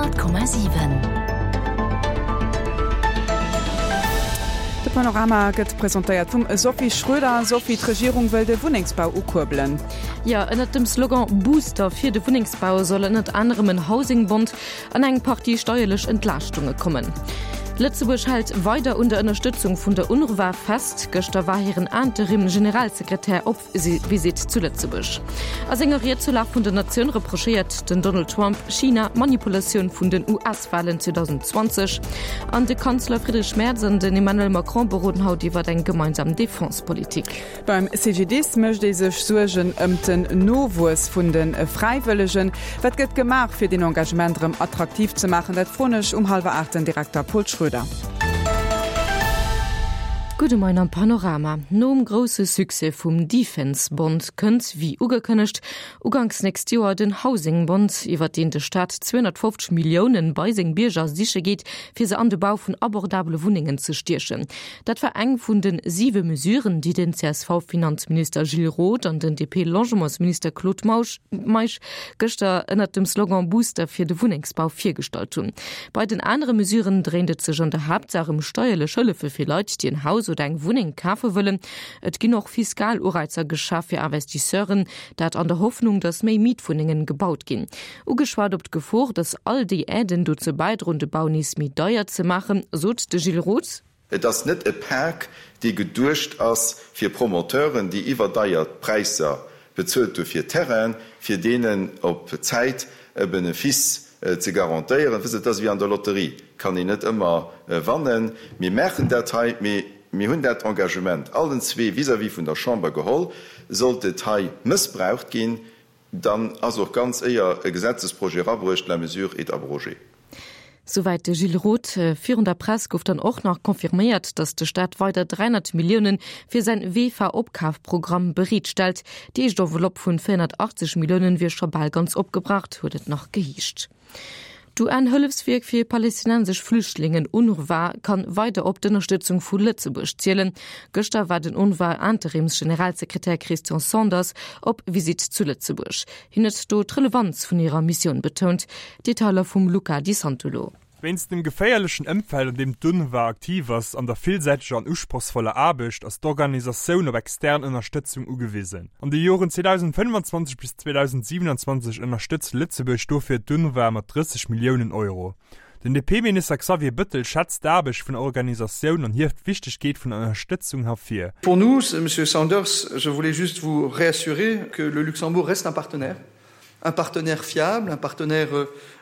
100,7. De Panorama gëtt presentéiert vum Sophie Schröder. Sophie, d'Regierung wëll de Wunnengsbau ukuerbelen. Jo, ënnert dem Slogan Booster fir de Wunnengsbau soll ënnert anerem en Housing-Bond an eng Partie steierlech Entlaaschtunge kommen. Lëtzebuerg hält weider un der Ënnerstëtzung vun der UNRWA fest. Gëschter war hiren Interim-Generalsekretär op Visitt zu Lëtzebuerg. A senger Ried zur Lag vun der Natioun reprochéiert den Donald Trump China d'Manipulatioun vun den US-Walen 2020. An de Kanzler Friedrich Merz an den Emmanuel Macron beroden haut iwwer eng gemeinsam Defense-Politik. Beim CGDIS mécht ee sech Suergen ëmt den Nowuess vun de Fräiwëllegen. Wat gëtt gemaach, fir deen Engagement erëm attraktiv ze maachen? Dat froen ech um hallwer 8 den Direkter Paul Schroeder. Gudde Moien am Panorama. Nom grousse Succès vum Defense Bond kënnt, wéi ugekënnegt, uganks nächst Joer den Housing Bond, iwwer deen de Staat 250 Milliounen bei seng Bierger siche geet, fir se an de Bau vun abordabele Wunnengen ze stiechen. Dat war eng vun de siwe Mesuren, déi den CSV-Finanzminister Gilles Roth an den DP-Logementsminister Claude Meisch gëschter ënnert dem Slogan Booster fir de Wunnengsbau virgestallt hunn. Bei den anere Mesuren dréint et sech an der Haaptsaach ëm steierlech Hëllefe fir Leit, déi en Haus oder eng Wunneng kafe wëllen. Et ginn och fiskal Ureizer geschaf fir Investisseuren, dat an der Hoffnung, datt méi Mietwunnengen gebaut ginn. Ugeschwat op d'Gefor, datt all déi Aiden dozou bäidroen, de Bau nees méi deier ze maachen, sot de Gilles Roth. Et ass net e Pak, dee geduecht ass fir Promoteuren, déi iwwerdeier Präisser bezuelt hu fir Terrainen, fir deenen op Zäit e Benefice ze garantéieren. Wësst Der, et ass ewéi an der Lotterie, kann een net ëmmer wannen. Mir maachen dat hei, mee mir hunn dat Engagement allen zwee vis-à-vis vun der Chamber geholl. Sollt et hei mëssbraucht ginn, Dann ass och ganz éier e Gesetzesprojet erabruecht, la mesure est abrogée. Souwäit de Gilles Roth. Virun der Press gouf dann och nach confirméiert, datt de Staat weider 300 Millioune fir säin VEFA-Opkafprogramm bereet stellt. Déi éischt Enveloppe vun 480 Milliounen wier scho bal ganz opgebraucht, huet et nach geheescht. D'UN-Hëllefswierk fir palästinensesch Flüchtlingen, UNRWA, kann weider op d'Ënnerstëtzung vu Lëtzebuerg zielen. Gëschter war den UNRWA-Interimsgeneralsekretär Christian Sanders op Visitt zu Lëtzebuerg. Hien huet do d'Relevanz vun hirer Missioun betount. Detailer vum Luca Di Santolo. Wéinst dem geféierlechen Ëmfeld, an deem d'UNRWA aktiv ass, an der villsäiteger an usprochsvoller Aarbecht, ass d'Organisatioun op extern Ënnerstëtzung ugewisen. An de Joren 2025 bis 2027 ënnerstëtzt Lëtzebuerg dofir d'UNRWA mat 30 Milliounen Euro. Den DP-Minister Xavier Bëttel schätzt d'Aarbecht vun der Organisatioun an hieft d'Wichtegkeet vun der Ënnerstëtzung hervir. Pour nous, Monsieur Sanders, je voulais juste vous réassurer que le Luxembourg reste un partenaire, un partenaire fiable, un partenaire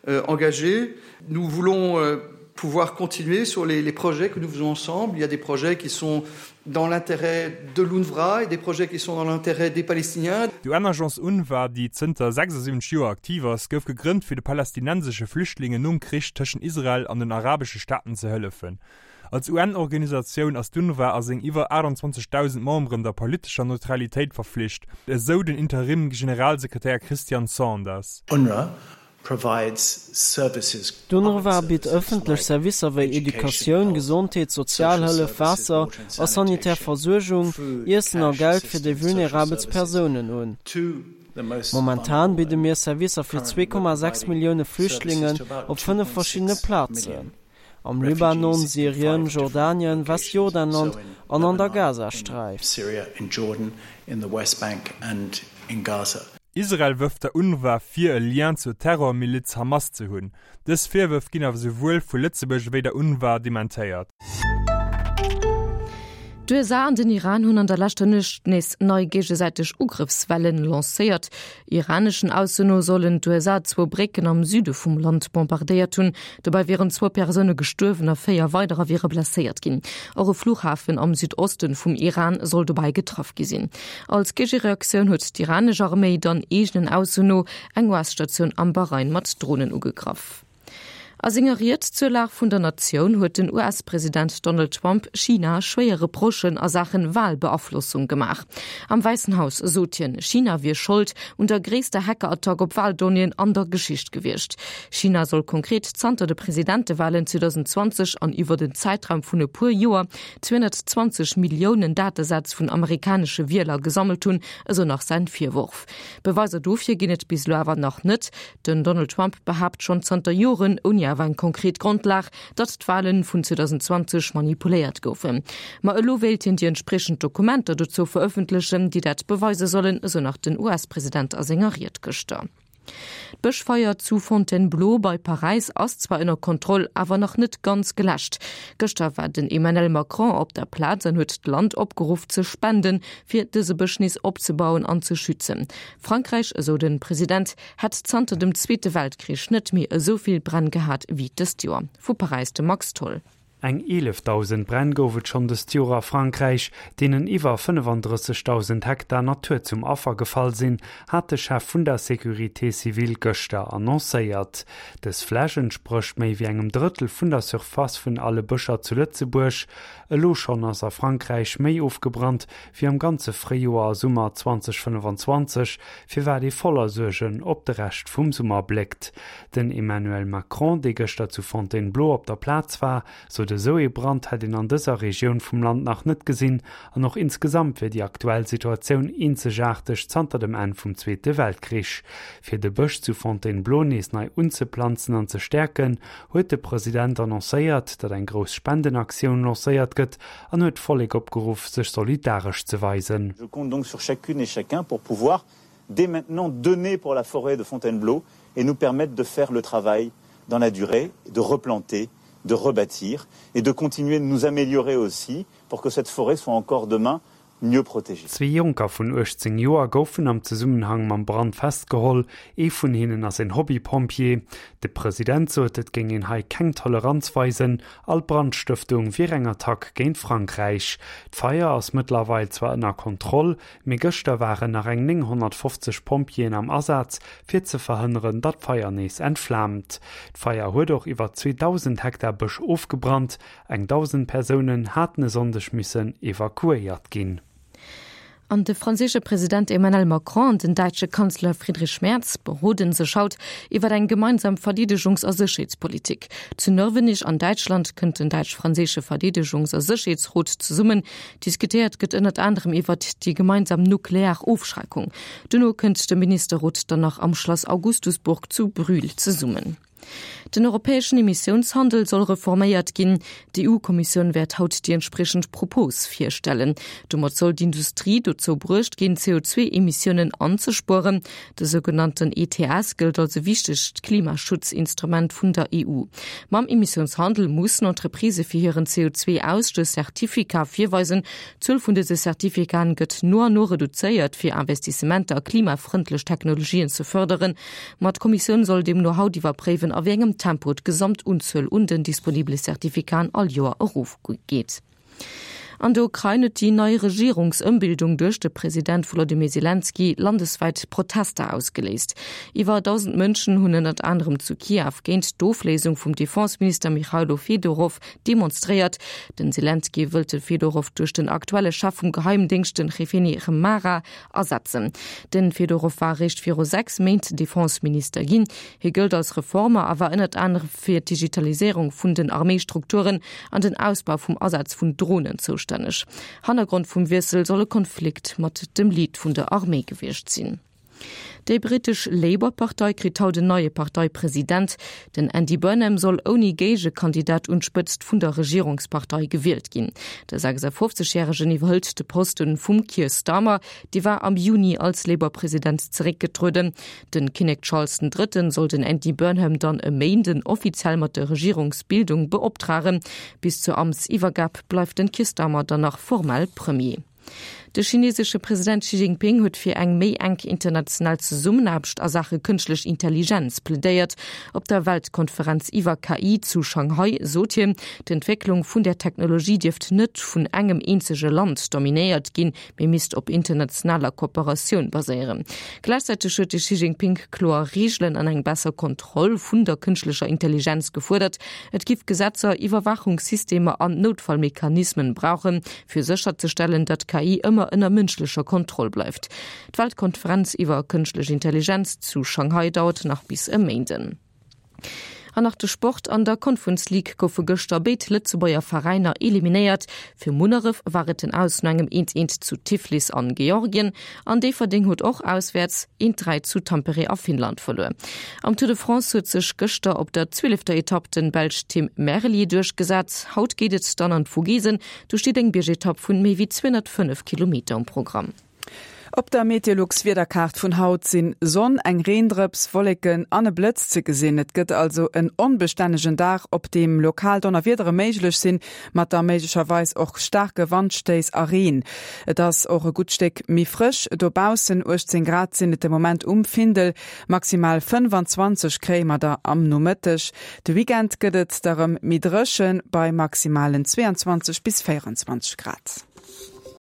euh, engagé. Nous voulons euh, pouvoir continuer sur les, les projets que nous faisons ensemble. Il y a des projets qui sont dans l'intérêt de l'UNRWA et des projets qui sont dans l'intérêt des Palestiniens. D'UN-Agence UNRWA, déi zënter 76 Joer aktiv ass, gouf gegrënnt, fir de palästinensesche Flüchtlingen nom Krich tëschent Israel an den arabesche Staaten ze hëllefen. Als UN-Organisatioun ass d'UNRWA a seng iwwer 28.000 Memberen der politescher Neutralitéit verflicht, esou den Interim-Generalsekretär Christian Sanders. UNRWA provides services. D'UNRWA bitt ëffentlech Servicer wéi Educatioun, Gesondheet, Sozialhëllef, Waasser a sanitär Versuergung, Iessen a Geld fir déi vulnerabelst Persounen un. Momentan bidde mir Servicer fir 2,6 Millioune Flüchtlingen op 5 verschiddene Plazen, am Libanon, Syrien, Jordanien, Westjordanland an an der Gazasträif. Israel wërft der UNRWA vir, e Lien zur Terrormiliz Hamas ze hunn. Dës Virwërf ginn awer souwuel vu Lëtzebuerg ewéi der UNRWA dementéiert. D'USA an den Iran hunn an der leschter Nuecht nees nei géigesäiteg Ugrëffswellen lancéiert. Iraneschen Ausso no sollen d'USA zwou Brécken am Süde vum Land bombardéiert hunn. Dobäi wieren zwou Persoune gestuerwen a véier weiderer wiere blesséiert ginn. Och e Fluchhafen am Südoste vum Iran soll dobäi getraff gi sinn. Als Géigereaktioun huet d'iranesch Arméi dann eegenen Ausso no eng US-Statioun am Bahrain mat Dronen ugegraff. A senger Ried zur Lag vun der Natioun huet den US-President Donald Trump China schwéier Reprochen a Saachen Walbeaflossung gemaach. Am Wäissen Haus sot hien, China wier Schold un der gréisster Hackerattack op Waldonnéeën an der Geschicht gewiescht. China soll konkret zanter de Presidentewalen 2020 an iwwer en Zäitraum vun e puer Joer 220 Milliounen Datesätz vun amerikanesche Wieler gesammelt hunn, esou nach säin Virworf. Beweiser dofir ginn et bis elo awer nach net. Den Donald Trump behaapt schonn zanter Joren, ouni awer eng konkret Grondlag, datt d'Wale vun 2020 manipuléiert goufen. Ma elo wéilt hien déi entspriechend Dokumenter dozou verëffentlechen, déi dat beweise sollen, esou nach den US-President a senger Ried gëschter. D'Bëschfeier zu Fontainebleau bei Paräis ass zwar ënner Kontroll, awer nach net ganz geläscht. Gëschter war den Emmanuel Macron op der Plaz an huet d'Land opgeruff ze spenden, fir dëse Bësch nees opzebauen an ze schützen. Frankräich, esou de President, hätt zanter dem Zweete Weltkrich net méi esou vill Bränn gehat wéi dëst Joer. Vu Paräis de Max Tholl. Eng 11.000 Bränn gouf et schonn dëst Joer a Frankräich, deenen iwwer 35.000 Hektar Natur zum Affer gefall sinn, hat de Chef vun der Sécurité civile gëschter annoncéiert. Dës Fläch entsprécht méi wéi engem Drëttel vun der Surface vun alle Bëscher zu Lëtzebuerg. Elo schonn ass a Frankräich méi ofgebrannt wéi am ganze Fréijoer a Summer 2025, firwat ee voller Suergen op de Rescht vum Summer bléckt. Den Emmanuel Macron, dee gëschter zu Fontainebleau op der Plaz war, sot, esou ee Brand hätt een an dëser Regioun vum Land nach net gesinn an och insgesamt wier déi aktuell Situatioun eenzegaarteg zanter dem Enn vum Zweete Weltkrich. Fir de Bësch zu Fontainebleau nees nei unzeplanzen an ze stäerken, huet de President annoncéiert, datt eng grouss Spendenaktioun lancéiert gëtt an huet d'Vollek opgeruff, sech solidaresch ze weisen. Je compte donc sur chacune et chacun pour pouvoir dès maintenant donner pour la forêt de Fontainebleau et nous permettre de faire le travail dans la durée, de replanter, de rebâtir et de continuer de nous améliorer aussi pour que cette forêt soit encore demain mieux protégée. Zwee Jonker vun 18 Joer goufen am Zesummenhang mam Brand festgeholl. Ee vun hinnen ass en Hobbypompjee. De President sot, et géing een hei keng Toleranz weisen. All Brandstëftung wier eng Attack géint Frankräich. D'Feier ass mëttlerweil zwar ënner Kontroll, mee gëschter waren nach eng 950 Pompjeeën am Asaz, fir ze verhënneren, datt d'Feier nees entflaamt. D'Feier huet och iwwer 2.000 Hektar Bësch ofgebrannt. Eng 1.000 Persounen haten e Sonndeg missen evakuéiert ginn. An de franséische President Emmanuel Macron an den däitsche Kanzler Friedrich Merz beroden sech haut iwwer eng gemeinsam Verdeedegungs a Sécherheetspolitik. Zu Nörvenich an Däitschland kënnt den däitsch-franséische Verdeedegungs a Sécherheetsrot zesummen. Diskutéiert gëtt ënnert anerem iwwert déi gemeinsam nuklear Ofschreckung. Dono kënnt de Ministerrot dann nach am Schlass Augustusburg zu Brühl zesummen. Den europäeschen Emissiounshandel soll reforméiert ginn. D'EU-Kommissioun wäert haut déi entspriechend Propos virstellen. Domat soll d'Industrie dozou bruecht ginn, CO2-Emissiounen anzespueren. De sougenannten ETS gëllt als e wichtegt Klimaschutzinstrument vun der EU. Mam Emissiounshandel mussen Entreprisë fir hiren CO2-Ausstouss Certificat virweisen. D'Zuel vun dëse Certificaten gëtt no an no reduzéiert, fir Investissementer a klimafrëndlech Technologien ze fërderen. Ma d'Kommissioun soll deemno haut iwwerpréiwen, a wéi engem Tempo d'Gesamtunzuel un den disponibele Certificaten all Joer erofgeet. An der Ukrain huet déi nei Regierungsëmbildung duerch de President Wolodymyr Selenskyj landeswäit Protester ausgeléist. Iwwer 1.000 Mënschen hunn ënnert anerem zu Kiew géint d'Ofléisung vum Defenseminister Mychajlo Fedorow demonstréiert. Den Selenskyj wëllt de Fedorow duerch den aktuelle Chef vum Geheimdéngscht, den Jewheni Khmara, ersetzen. Den Fedorow war eréischt viru 6 Méint Defenseminister ginn. Hie gëllt als Reformer a war ënnert anerem fir d'Digitaliséierung vun den Arméistrukturen an den Ausbau vum Asaz vun Dronen zoustänneg. Hannergrond vum Wiessel soll e Konflikt mat dem Lead vun der Arméi gewiescht sinn. Déi brittesch Labour-Partei kritt haut en neie Parteipresident. Den Andy Burnham soll ouni Géigekandidat un d'Spëtzt vun der Regierungspartei gewielt ginn. De 56 Järegen iwwerhëlt de Posten vum Keir Starmer, dee war am Juni als Labour-President zeréckgetrueden. De Kinnek Charles den Drëtten soll den Andy Burnham dann e Méinden offiziell mat der Regierungsbildung beoptragen. Bis zur Amtsiwwergab bleift den Keir Starmer dann nach formell Premier. De chinesesche President Xi Jinping huet fir eng méi enk international Zesummenaarbecht a Saache kënschtlech Intelligenz plädéiert. Op der Weltkonferenz iwwer KI zu Shanghai sot hien, d'Entwécklung vun där Technologie dierft net vun engem eenzege Land dominéiert ginn, mee misst op internationaler Kooperatioun baséieren. Gläichzäiteg huet de Xi Jinping kloer Reegelen an eng besser Kontroll vun der kënschtlecher Intelligenz gefuerdert. Et giff Gesetzer, Iwwerwaachungssystemer an Noutfallmechanismen brauchen, fir sécherzestellen, datt KI ëmmer ënner mënschlecher Kontroll bleift. D'Weltkonferenz iwwer kënschtlech Intelligenz zu Shanghai dauert nach bis e Méinden. An nach de Sport, An der Conference League goufe gëschter béid Lëtzebuerger Veräiner eliminéiert. Fir Munneref war et den Aus no engem Eent Eent zu Tiflis an Georgien an Déifferdeng huet och auswäerts Eent 3 zu Tampere a Finnland verluer. Am Tour de France huet sech gëschter op der zwielefter Etapp den Belsch Tim Merlier duerchgesat. Haut geet et dann an d'Vogesen, do steet eng Biergetapp vun méi wéi 205 Kilometer um Programm. Op der Meteolux-Wiederkaart vun haut sinn Sonn, eng Reendrëps, Wolleken an e Blëtz ze gesinn. Et gëtt also en onbestännegen Dag, op deem lokal Donnerwiedere méiglech sinn, mat da méiglecherweis och staarke Wandstéiss a Reen. Et ass och e gutt Stéck méi frësch dobaussen, 18 Grad sinn et de Moment um Findel, maximal 25 kréie mer der am Nomëtteg. De Weekend gëtt et da rëm méi dréchen, bei maximalen 22 bis 24 Grad.